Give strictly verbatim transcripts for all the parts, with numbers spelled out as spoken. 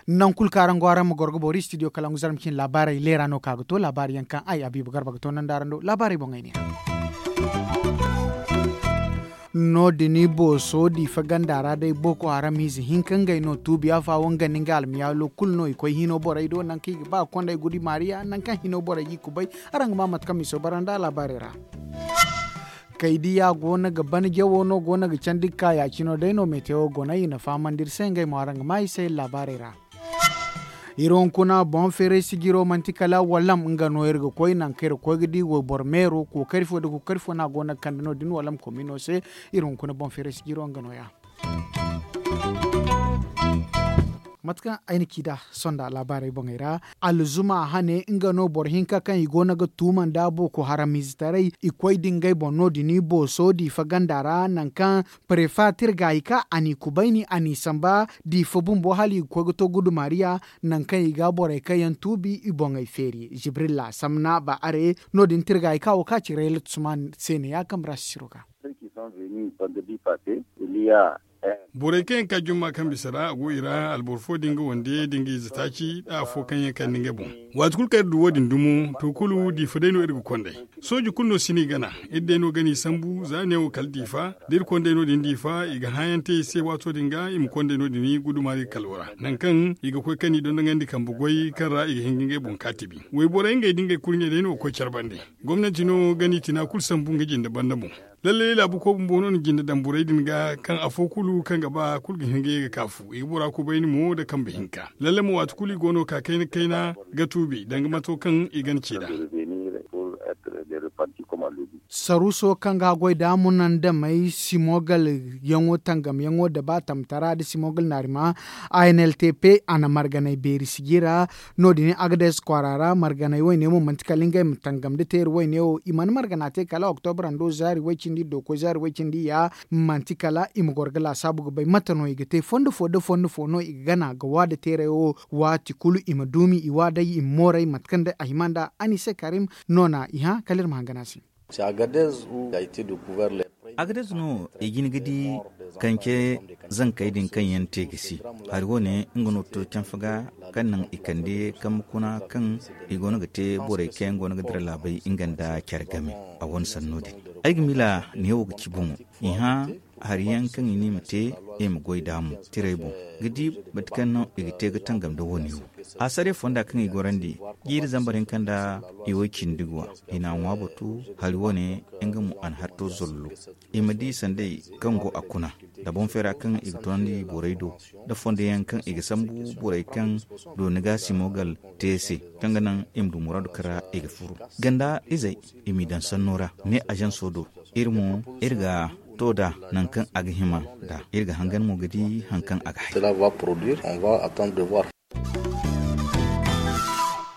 Nangu kulu kaŋ araŋ go araŋ ma goro ga boori studio kalangu zarma cine laabaarey leera no ka ga to laabaari yaŋ kaŋ ay abiiba garba ga to nanda araŋ do laabaarey boŋey ne. No- din booso diifa ganda ra day boko haram ize hinka ngey no tuubi afa wo nga ni nga almiyaalo kulu no i koy hino borey do nangu kaŋ i ga ba ga kondey gudi maariya nangu kaŋ hino borey g'i kubay. Araŋ ga ma mate kaŋ miso bara nda laabaarey ra. Kaydiya go no ga ban jawo no go no ga candi ga ka ya- cino day no metewo go no i na fahamandi iri se ngey mo araŋ ga ma i se laabaarey ra. Iri hunkuna boŋ feeray sijiro manti kala wallam nga no iri ga koy nangu kaŋ iri ga koy ga di wayboro meero kookari fo nda kookari fo no a go no ga kande no- din wallam komino se. Iri hunkuna boŋ feeray sijiro nga no- ya. Mate kaŋ ay na ci nd'a sonda laabaarey boŋey ra, alzuma hane nga no boro hinka kaŋ i go no ga tuuma nda boko haram izetaray i koy da ngey boŋ no- din booso diifa ganda ra nangu kaŋ prefa tirga i ka a n'i kubayni a n'i samba diifa bumbo hala i ga koy ga to gudumaariya. Nangu kaŋ i ga borey kaŋ yaŋ tuubi i boŋey feeri jibrilla samna ba are no- din tirga i ka wo ka ci rayla tusman se ne ya kambe ra sisiro ga. Borey kaŋ yaŋ ka jumma kaŋ bisa ra a go i ra alboro fo din ga wande da nga ize taaci da afo kaŋ yaŋ kande ngey boŋ. Waati kulu kaŋ iri du wo- din dumo to kulu diifa day no iri ga kondey. Sooji kulu no si no i gana. Iri day no gana i sambu za neewo kala diifa da iri kondey no- din diifa i ga hãayaŋ te i se waato din ga i ma kondey no- din gudumaari kalo ra nangu kaŋ i ga koy kaŋ i dondonandi kambe goy kaŋ ra i ga hin ga ngey boŋ kaatibi. Wayborey ngey da ngey kurɲey day no ga koy care bande. Gomnanti no gana i tina kulu sambu nga jinde banda boŋ. Lallay laabu koy bumbo no na jinde daŋ borey din ga kaŋ afo kulu kaŋ ga ba kulu ga hin ga ye ga kaafu i ga bora kubayni mo nda kambe hinka. Lallay mo waati kulu i go no ga ka kayna kayna ga tuubi danga mato kaŋ i gana ci nd'a. Saruuso kaŋ ga goy da munandamey simogal yaŋo tangamyaŋo da ba tamtara nda simogal naarima a n l t p a na marganey beeri sijira. No- din agades kwaara ra marganey wayne mo manti kala ngey ma tangam nda teeri wayne wo i mana margana te kala oktobra ndo zaari way-cindi iddo koy zaari way-cindi iyya. Manti kala i ma goro ga laasaabu ga bay mate no i ga te fondo fo nda fondo fo no i ga gana ga waa nda teerey wo. Waati kulu i ma duumi i waa day i ma mooray mate kaŋ day a hima nd'a anise karim. Noona i hã kala iri ma hangan a se. Agadez no i jin ga di kaŋ ce zankey din kaŋ yaŋ te ga si hari wo- ne nga no to canfa ga kaŋ naŋ i kande kambe kuna kaŋ i go no ga te borey kaŋ yaŋ go no ga dira laabey nga nda care game. A wane sanno din ay ga miila neewo ga ci bomo i hã hari yaŋ kaŋ i ne i ma te i ma goy d'a mo tirey boŋ ga di mate kaŋ no i ga te ga tangam nda wo- ne wo. A sare fonda kaŋ i gorandi jiiri zambar hinka nda i way cindi ga wa i n'a ŋwa batu hari wo- ne nga mo a na hari to zollo. I ma di sanday kaŋ go a kuna nda boŋ feera kaŋ i ga toonandi borey do nda fondo yaŋ kaŋ i ga sambu borey kaŋ dooni ga simogal te se kaŋ ga naŋ i ma du muraadu kaŋ ra i ga furo ganda izey i m'i daŋ sanno ra ne ažanso do. Iri mo iri ga to nd'a naŋ kaŋ a ga hima nd'a iri ga hangan mo ga di haŋ kaŋ a ga hay.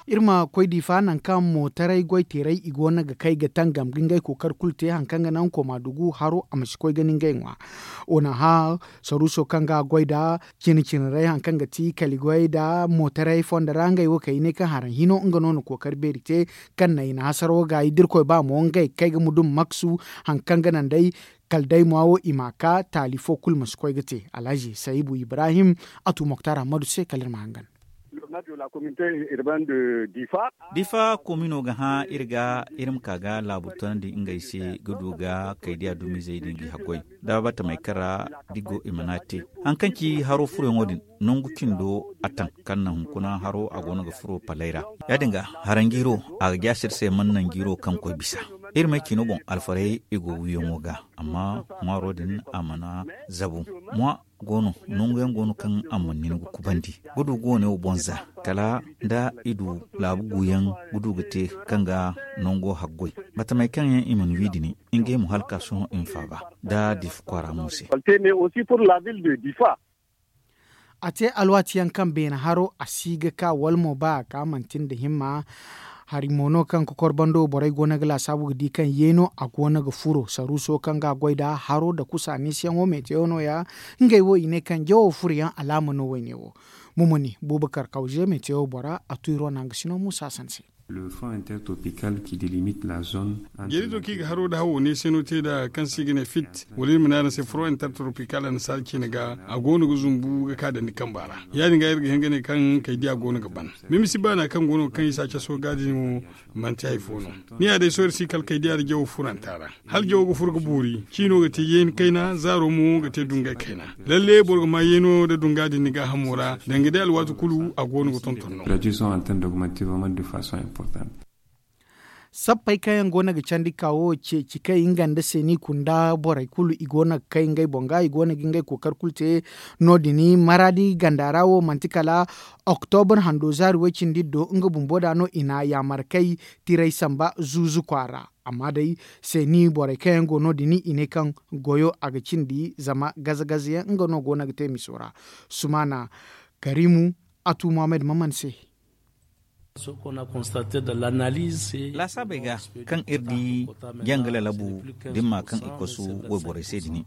Iri ma koy diifa naŋ kaŋ mootaray goy teeray i go no ga kay ga tangam ga ngey kookari kulu te haŋ kaŋ ga naŋ koma dugu haro a ma si koy ga ni ngey ŋwa. Wo na hã saruuso kaŋ ga a goy nd'a cine cine ray haŋ kaŋ ga ti kala i goy nd'a mootaray fondo ra ngey wo kay i ne kaŋ haraŋ hino nga no na kookari beeri te. Kaŋ na i na hasaraw ga i da irkoy ba mo ngey ga kay ga mudum maksu haŋ kaŋ ga naŋ day kala day ŋwa wo i m'a ka taali fo kulu ma si koy ga te alhazi sayibu ibrahim. A tu moktar ahmadu se kala iri ma hangan. Difa komino ga hã iri ga iri ma ka ga laabu toonandi ngey se ga du ga kaydiya dumizey din ga i haggoy da batamey kaŋ ra da i go i mana te haŋ kaŋ ci haro furoyaŋo din. Nangu cindo a taŋ kaŋ na hunkuna haro a go no ga furo palay ra. Ya- din ga haranjiiro a ga jaase iri se mana nanjiiro kaŋ koy bisa. Iri may cino boŋ alfarey i go wiyaŋo ga amma ŋwaaro din a mana zabu. Ŋwa go no nangu yaŋ go no kaŋ a mana nin ga kubandi ga du ga wane wo boŋ za kala nda i du laabu guuyaŋ ga du ga te kaŋ ga nango haggoy. Batamey kaŋ yaŋ i mana wi dini ngey mo hala ka sohõ i ma faaba nda difa kwaara mo se. A te alwaati yaŋ kaŋ beene haro a si ga ka wala mo ba a ka manti nda himma. Hari mo no kaŋ kokor bando borey go no ga laasaabu ga di kaŋ yeeno a go no ga furo saruuso kaŋ ga a goy nd'a haro nda kusa niisiyaŋo metewo no- ya. Ngey wo i ne kaŋ jawo furoyaŋ alaama no wayne wo. Mumuni bubakar kawze metewo bora a tu iri wane hangasino muusa sanse. Le front intertropical qui délimite la zone. Jeerizo kaŋ i ga haro nda hawo ne se no te nd'a kaŋ se i ga ne fit wala iri ma ne araŋ se front intertropical annasaara ciine ga a go no ga zumbu ga ka dandi kamba ra. Ya- din ga iri ga hin ga ne kaŋ kaydiya go no ga ban. Mimisi baana kaŋ go no kaŋ i si a caso ga din wo, manti hari fo no. Ni ya day sohõ iri si kala kaydiya nda jawo furanta ra. Hala jawo ga furo ga boori ciino ga te yeeni kayna zaaro mo ga te dungay kayna. Lalle boro ga ma yeeno nda dunga din ni gaahamo ra danga day alwaati kulu a go no ga tonton no. Sappey kaŋ yaŋ go no ga candi ka wo ceeci kay nga nda seeni kunda borey kulu i go no ga kay ngey boŋ ga i go no ga ngey kookari kulu te. No- din maraadi ganda ra wo manti kala oktobur hando zaari way- cindi do nga bumbo da no i na yaamar kay tiray samba zuuzu kwaara. Amma day seeni borey kaŋ yaŋ go no- din i ne kaŋ goyo a ga cindi zama gaza gaza yaŋ nga no go no ga te miso ra. Sumaana karimu atu muhammad maman se. Laasaabey ga kaŋ iri di janga lalabu dimma kaŋ i kosu wayborey se din.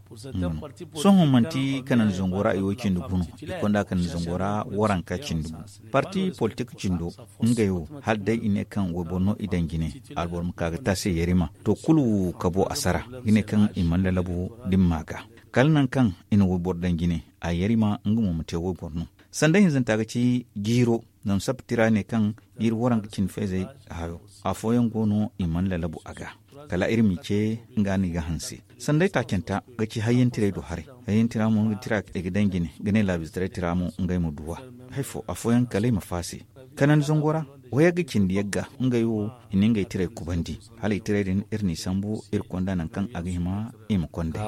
Sohõ manti kanandi zango ra i wo cindi gu no. I konda kanandi zango ra waranka cindi gu. Parti politik cindo ngey wo hala day i ne kaŋ wayboro no i daŋ jine. Alboro ma ka ga taasi yarima to kulu kabo a sara i ne kaŋ i mana lalabu dimma ga. Kala nangu kaŋ i na wayboro daŋ jine a yarima nga mo ma te wayboro no. Sanda hinzanta ga ci jiiro. Zama sappatira ne kaŋ jiiri waranka cindi fayzey hayo. Afooyaŋ go no i mana lalabu a ga kala iri m'i ce nga no i ga hanse. Sanday taacanta ga ci hayyantiray do haray. Hayyantira mo nga tira i ga daŋ jine ga ne laabizataraytira mo ngey ma duw'a. Hay fo afooyaŋ kala i ma faase kanandi zango ra. Wayagga cindi yagga ngey wo i na ngey tiray kubandi hala i tiray din iri n'i sambu iri konda nangu kaŋ a ga hima i ma konday.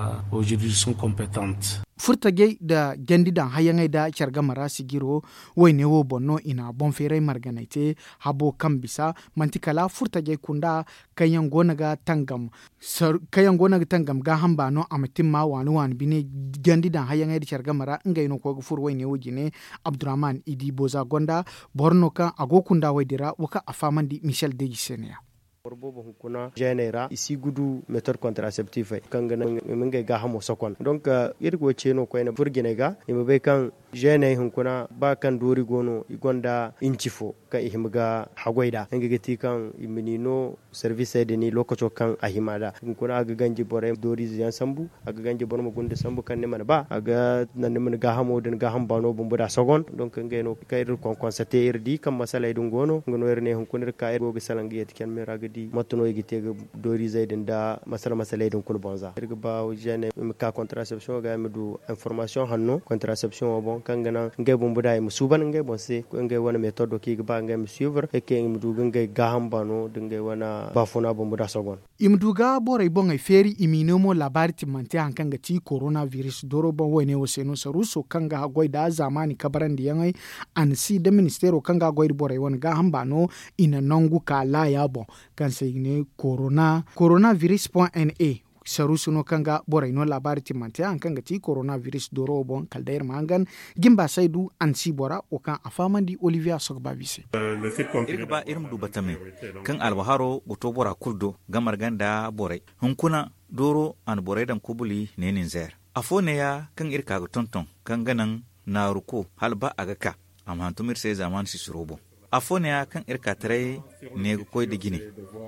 Furtajey nda jandi daŋ hayyaŋey nda care game ra sijiro wayne wo boŋ no i na boŋ feeray marganey te. Habo kaŋ bisa manti kala furtajey kunda kaŋ yaŋ go no ga tangam gaaham baano a ma timma waani waani bine. Jandi daŋ hayyaŋey nda care game ra ngey no koy ga furo wayne wo jine. Abdurrahman idi boza gonda boro no kaŋ a go kunda way din ra wo kaŋ a fahamandi michel deji se ne ya. Boro boobo hunkuna zeeney ra i si gudu metod kontraseptifey kaŋ ga naŋ i ma ngey gaahamo sokon donk iri go ce no koyne furjiney ga i ma bay kaŋ zeeney hunkuna ba kaŋ doori go no i gonda inci fo kaŋ i hima ga haggoy nd'a nga ga ti kaŋ i ma ni no. Servisey din lookaco kaŋ a hima nd'a hunkuna a ga ganji borey dooriize yaŋ sambu. A ga ganji boro ma gunda sambu kaŋ ni mana ba a ga naŋ ni mana gaahamo da ni gaaham baano bumbo nd'a sogon donk ngey no kaŋ iri konkonsa te iri di kaŋ masaley din go no nga no iri ne hunkuna iri ka iri go ga salaŋ ga yeeti care me ra ga di mate no i ga te ga dooriizey din nda masala masaley din kulu boŋ za iri ga ba zene i ma ka kontarasepsiyoŋo ga i ma du informasiyoŋ hanno kontarasepsiyoŋo boŋ kaŋ ga naŋ ngey bumbo nd'a i ma suuban ngey boŋ se ngey wane metoddo kaŋ i ga ba ngey ma suivre ay kaŋ i ma du ga ngey gaaham baano da ngey wane baafuna bumbo nd'a sogon. I ma du ga borey boŋey feeri i m'i no mo laabaari timmante hari kaŋ ga ti korona biris dooro boŋ wayne wo se no saruuso kaŋ ga haggoy nda zaamaani kabarandiyaŋey. A na si nda ministeero kaŋ ga haggoy nda borey wane gaaham baano i na nangu ka laaya boŋ kaŋ se i ga ne korona biris point n a. Saruuso no kaŋ ga borey no laabaari timmante hari kaŋ ga ti korona biris dooro wo boŋ kala day iri ma hangan. Jimba saydu a na si bora wo kaŋ a fahamandi olivier a sogo baabi se. Iri ga ba iri ma du batame kaŋ albaharo ga to bora kulu do ga marga nda borey. Hunkuna dooro a na borey daŋ kubuli ne ninzeer. Afo neeya kaŋ iri ka ga tonton kaŋ ga naŋ naaru ko hala ba a ga ka a ma hantum iri se zaamaani sisiro boŋ. Afo neeya kaŋ iri ka taray ne ga koy nda jine.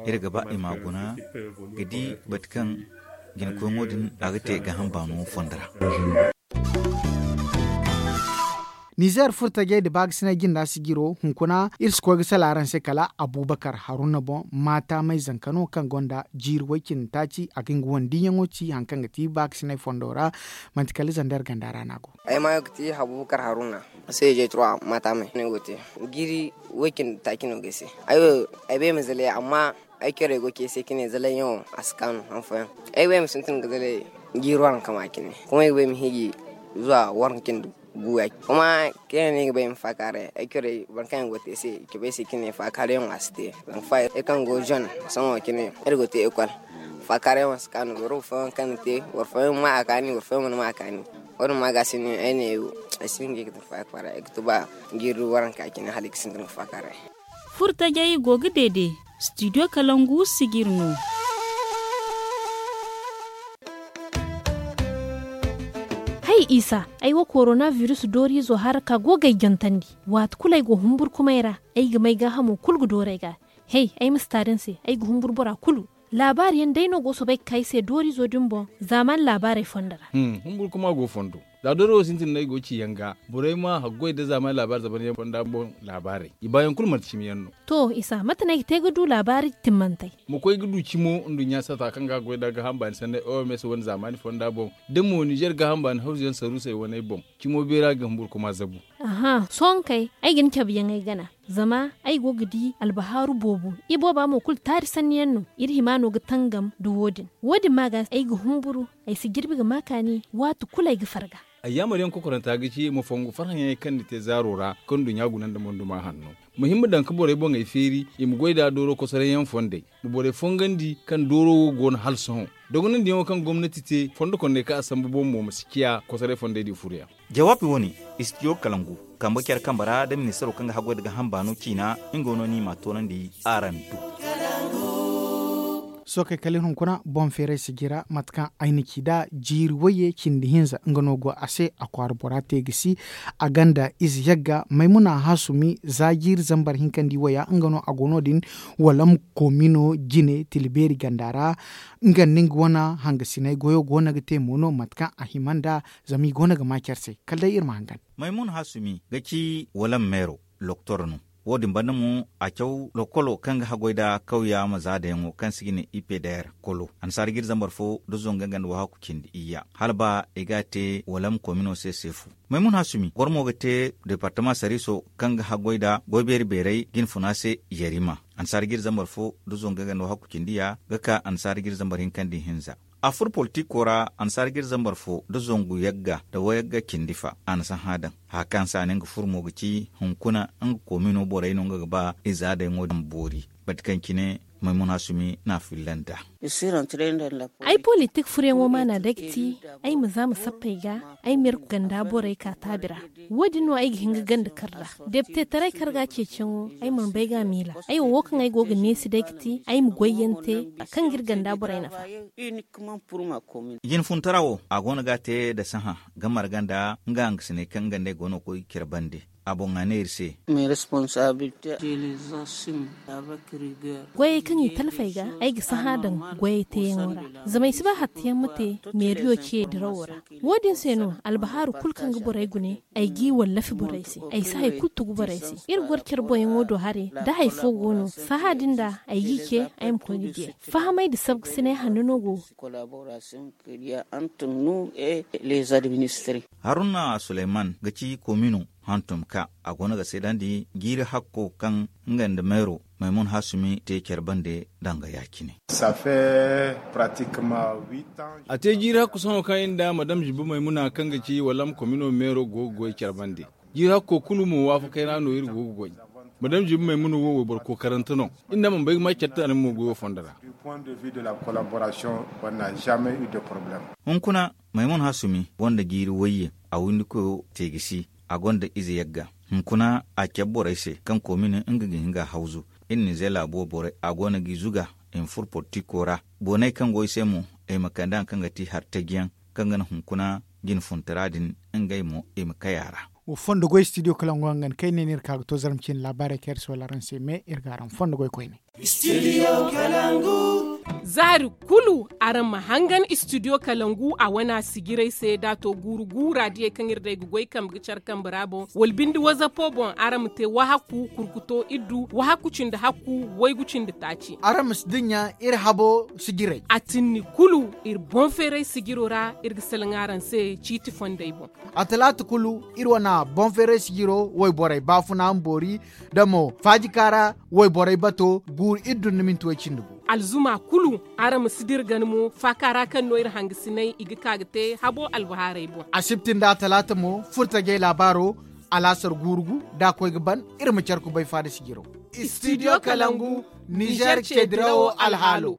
Iri ga ba i m'a guna ga di bate kaŋ jinakoyŋo din a ga te gaaham baano fondo ra. Nizeer furtajey nda baakasinay jinda sijiro hunkuna iri si koy ga salaŋ araŋ se kala abubakar haruna boŋ maataamay zanka no kaŋ gonda jiiri way-cindi taaci a ga nga wane diiyaŋo ci hari kaŋ ga ti baakasinay fondo ra. Manti kala zander ganda ra no a go. Ay maayo ga ti abubakar haruna. Seejey trois maataamay no ay go ga te. Jiiri way-cindi taaci no ga ay se. Ay wo ay bay ma zalay amma ay corey go ga ci ay se ka ne zalayyaŋo a si kaanu han fooyaŋ. Ay wo ay ma sintin ga zalay jiiri waranka ma cine kuma ay ga ba ay ma hiiji zuwa waranka cindi gu ya-cine kuma kaŋ yaŋ no ay ga ba ay ma faakaaray ay corey boro kaŋ yaŋ go ga te ay se i cabe ay se ka ne faakaarayyaŋo a si te. Zama fa iri kaŋ go zone sohõ cine iri go ga te ekol faakaarayyaŋo si kaanu boro fooyaŋ kaŋ na te boro fooyaŋ ma a kaani boro fooyaŋ mana ma a kaani. Wo-din ma ga se no ay ne ay si hin ga ay ga tun faakaaray ay ga tuba jiiri waranka cine hala ay ga sintin ga faakaaray. Furtajey go ga deede. Studio kalangu sijir no. Hay isa, ay wo korona biris dooriizo hara ka go ga ay jantandi. Waati kulu ay go humburkumay ra ay ga may gaahamo kulu ga dooru ay ga. Hey, ay ma si taari ni se, ay ga humburu bora kulu. Laabaari yaŋ day no go soobay ga ka ay se dooriizo din boŋ. Zaamaani laabaarey fondo ra. Humburu kuma go fondo. Za doori wo sintin no ay go ga ci yaŋ ga borey ma haggoy nda zaamaani laabaari zaban yaŋ fonda boŋ. Laabaarey i baayaŋ kulu manti cimi yaŋ no. To isa mate no ay ga te ga du laabaari timmantey? Ma koy ga du cimo nduɲɲa saata kaŋ ga haggoy nda gaaham baani sanney oms wane zaamaani fonda boŋ, da mo nizer gaaham baani hawzu yaŋ saruusey waney boŋ. Cimo beera ga humburu kuma zabu. Aha sohõ kay, ay ga ni cabe yaŋ ay gana. Zama ay go ga di albahaaru boobo. Ibooba mo kulu taari sanni yaŋ no. Iri hima no ga tangam nda wo- din. Wo- din ma ga ay ga humburu. Ay si jirbi ga ma kaani waati kulu ay ga farga. Ayyaamar yaŋ kokoranta ga ci ma fongu farhã yaŋey kaŋ ni te zaaro ra, kaŋ nduɲɲa guna nda monduma hanno. Ma hima daŋ ga borey boŋey feeri i ma goy nd'a dooro kosoray yaŋ fondey. Ma borey fongandi kaŋ dooro wo go no hala sohõ. Dogonandiyaŋo kaŋ gomnati te fondo kondey kaŋ a sambu boŋ mo ma si ciya kosoray fondey din furo yaŋ. Jawaabi wo- ne, istidiyo kalangu kambe care kambe ra nda ministaro kaŋ ga haggoy nda gaaham baano ciina. Nga no no i m'a toonandi araŋ do. Sookey kala iri hunkuna boŋ feeray sijira mate kaŋ ay na ci nd'a jiiri wayye cindi hinza nga no go a se a kwaara bora te ga si. A ganda ize yagga maymuna hasumi za jiiri zambar hinka nda i waya nga no a go no- din. Walam koomino jine tila beeri ganda ra. Nga nda nga wane hangasiney goyo go no ga te mo no mate kaŋ a hima nd'a. Zama i go no ga ma care se kala day iri ma hangan. Maymuna hasumi ga ci walam meero loktor no. Wo- din banda mo a caw lokolo kaŋ ga haggoy nda kawya ma zaadayaŋo kaŋ se i ga ne ipeder kolo annasaara ga iri zambar fo nda zongu nga nda wahakku cindi iyya hala ba i ga a te walam koomino se seefu. Maymuna hasumi goro mo ga te departama sariiso kaŋ ga haggoy nda goy beeri beeray jinfuna se. Yarima annasaara ga iri zambar fo nda zongu nga nda wahakku cindi ya ga ka annasaara ga iri zambar hinka nda ihinza. A furo politiko ra annasaara ga iri zambar fo nda zangu yagga nda wayagga cindi fa a na sahã daŋ. Haya kaŋ se a ne nga furo mo ga ci hunkuna nga koomino borey no nga ga ba i za daŋ wo daŋ boori. Mate kaŋ cine maymuna sumi n'a filla nd'a. Ay politik furoyaŋo maana day ga ti ay ma za ma sappey ga ay ma iri ganda borey ka taabi ra. Wo- din no ay ga hin ga ganda kar ra. Deptetaray karga ceeciyaŋo ay mana bay ga a miila. Ay wo wo kaŋ ay go ga neesi day ga ti ay ma goyyaŋ te kaŋ ga iri ganda borey nafa. Jinfuntara wo a go no ga a te nda sahã ga marga nda nga hangasiney kaŋ nga nd'ey go no ga koy care bande. A boŋ a ne iri se. Goyey kaŋ i talfey ga ay ga sahã daŋ goyey teeyaŋo ra. Zama ay si ba hattayaŋ ma te meeriyo ce dirawo ra. Wo- din se no albahaaru kulu kaŋ ga borey gune ay g'i wallafi borey se. Ay si hari kulu tugu borey se. Iri goro care boŋyaŋo do haray da hari fo go no sahã din da ay g'i ce ay ma koy ga diyay. Fahamay nda sabgasinay hanno no go. Haruna suleyman ga ci koomino hantum ka a go no ga seedandi jiiri hakko kaŋ nga nda meero maymun hasumi te care bande danga ya- cine. A te jiiri hakku sohõ kaŋ iri nda madam ziba maymuna kaŋ ga ci walam komino meero go ga goy care bande. Jiiri hakko kulu mo waafakay ra no iri go ga goy. Madam ziba maymuna wo wayboro kookarante no. Iri nda mana bay ga ma care taani mo goyo fondo ra. Hunkuna maymun hasumi gonda jiiri wayye a windikoyo te ga si. A gonda ize yagga hunkuna a care borey se kaŋ koomine nga ga hin ga a hawzu. Iri nize laabo borey a go no g'i zuga i ma furo politiko ra. Booney kaŋ go i se mo i ma kande hari kaŋ ga ti hari tajiyaŋ kaŋ ga naŋ hunkuna jinfuntara din ngey mo i ma kay a ra. Wa fondo goy studio kalangu hangan kaŋ ay ne no iri ka ga to zarma ciine laabaarey kaŋ iri si wala araŋ se me iri ga araŋ fondo goy koyne. Za hari kulu araŋ ma hangan studio kalangu a wana sijirey se da a to guuru guura diyey kaŋ iri day ga goy kambe ga care kambe ra boŋ wala binde wazapo boŋ araŋ ma te wahakku kurkuto iddu wahakku cindi hakku waygu cindi taaci. Araŋ ma si dinya iri habo sijirey. A tinni kulu iri boŋ feeray sijiro ra iri ga salaŋ araŋ se ciiti fondey boŋ. A talaata kulu iri wana boŋ feeray sijiro wayborey baafuna ma boori da mo faajika ra wayborey bato guuru iddu nda minti way cindi gu. Alzuma kulu araŋ ma si dira gana mo faaka ra kaŋ no iri hangasinay i ga ka ga te habo albahaarey boŋ. Asibti nda talaata mo furtajey laabaaro alaasar guuru gu da a koy ga ban. Iri ma care kubay faada sijiro. Studio kalangu nizer ce dirawo alhaalo.